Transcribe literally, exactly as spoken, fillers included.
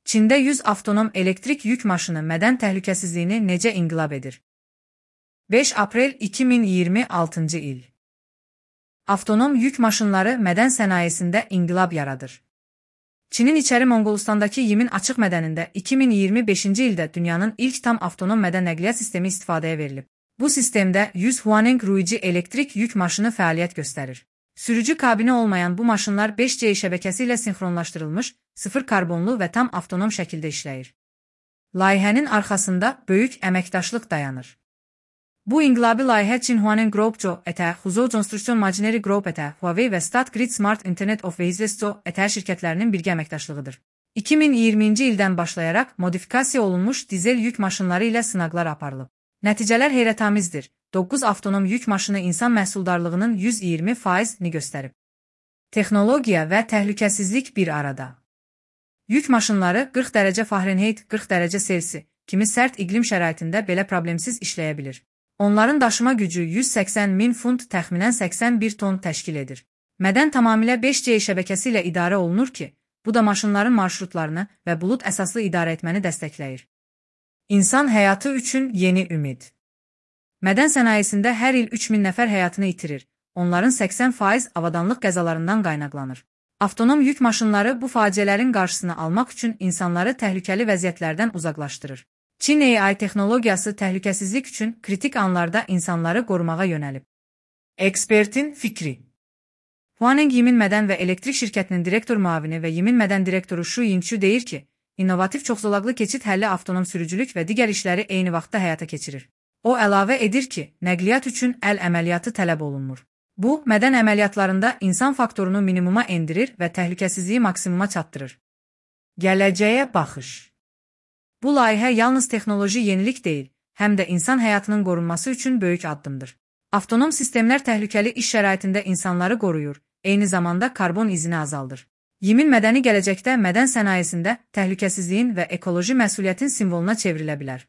Çində yüz avtonom elektrik yük maşını mədən təhlükəsizliyini necə inqilab edir? beş aprel iki min iyirmi altıncı il. Avtonom yük maşınları mədən sənayesində inqilab yaradır. Çinin içəri Monqolistandakı Yimin açıq mədənində iki min iyirmi beşinci ildə dünyanın ilk tam avtonom mədən nəqliyyat sistemi istifadəyə verilib. Bu sistemdə yüz Huaneng Ruiji elektrik yük maşını fəaliyyət göstərir. Sürücü kabini olmayan bu maşınlar beş C şəbəkəsi ilə sinxronlaşdırılmış, sıfır karbonlu və tam avtonom şəkildə işləyir. Layihənin arxasında böyük əməkdaşlıq dayanır. Bu inqilabi layihə Çin Huaneng Group etə, Huzhou Construction Machinery Group etə, Huawei və State Grid Smart Internet of Vehicles etə şirkətlərinin birgə əməkdaşlığıdır. iki min iyirminci ildən başlayaraq modifikasiya olunmuş dizel yük maşınları ilə sınaqlar aparılıb. Nəticələr heyrətamizdir. doqquz avtonom yük maşını insan məhsuldarlığının yüz iyirmi faizini göstərib. Texnologiya və təhlükəsizlik bir arada. Yük maşınları qırx dərəcə Fahrenheit, qırx dərəcə Selsi kimi sərt iqlim şəraitində belə problemsiz işləyə bilir. Onların daşıma gücü yüz səksən min funt, təxminən səksən bir ton təşkil edir. Mədən tamamilə beş C şəbəkəsi ilə idarə olunur ki, bu da maşınların marşrutlarını və bulut əsaslı idarə etməni dəstəkləyir. İnsan həyatı üçün yeni ümid. Mədən sənayesində hər il üç min nəfər həyatını itirir. Onların səksən faiz avadanlıq qəzalarından qaynaqlanır. Avtonom yük maşınları bu faciələrin qarşısını almaq üçün insanları təhlükəli vəziyyətlərdən uzaqlaşdırır. Çin A I texnologiyası təhlükəsizlik üçün kritik anlarda insanları qorumağa yönəlib. Ekspertin fikri. Huaneng Yimin mədən və elektrik şirkətinin direktor müavini və Yimin mədən direktoru Shu Yingxu deyir ki, innovativ çoxzolaqlı keçid həlli avtonom sürücülük və digər işləri eyni vaxtda həyata keçirir. O əlavə edir ki, nəqliyyat üçün əl əməliyyatı tələb olunmur. Bu, mədən əməliyyatlarında insan faktorunu minimuma endirir və təhlükəsizliyi maksimuma çatdırır. Gələcəyə baxış. Bu layihə yalnız texnoloji yenilik deyil, həm də insan həyatının qorunması üçün böyük addımdır. Avtonom sistemlər təhlükəli iş şəraitində insanları qoruyur, eyni zamanda karbon izini azaldır. Yimin mədəni gələcəkdə mədən sənayesində təhlükəsizliyin və ekoloji məsuliyyətin simvoluna çevrilə bilər.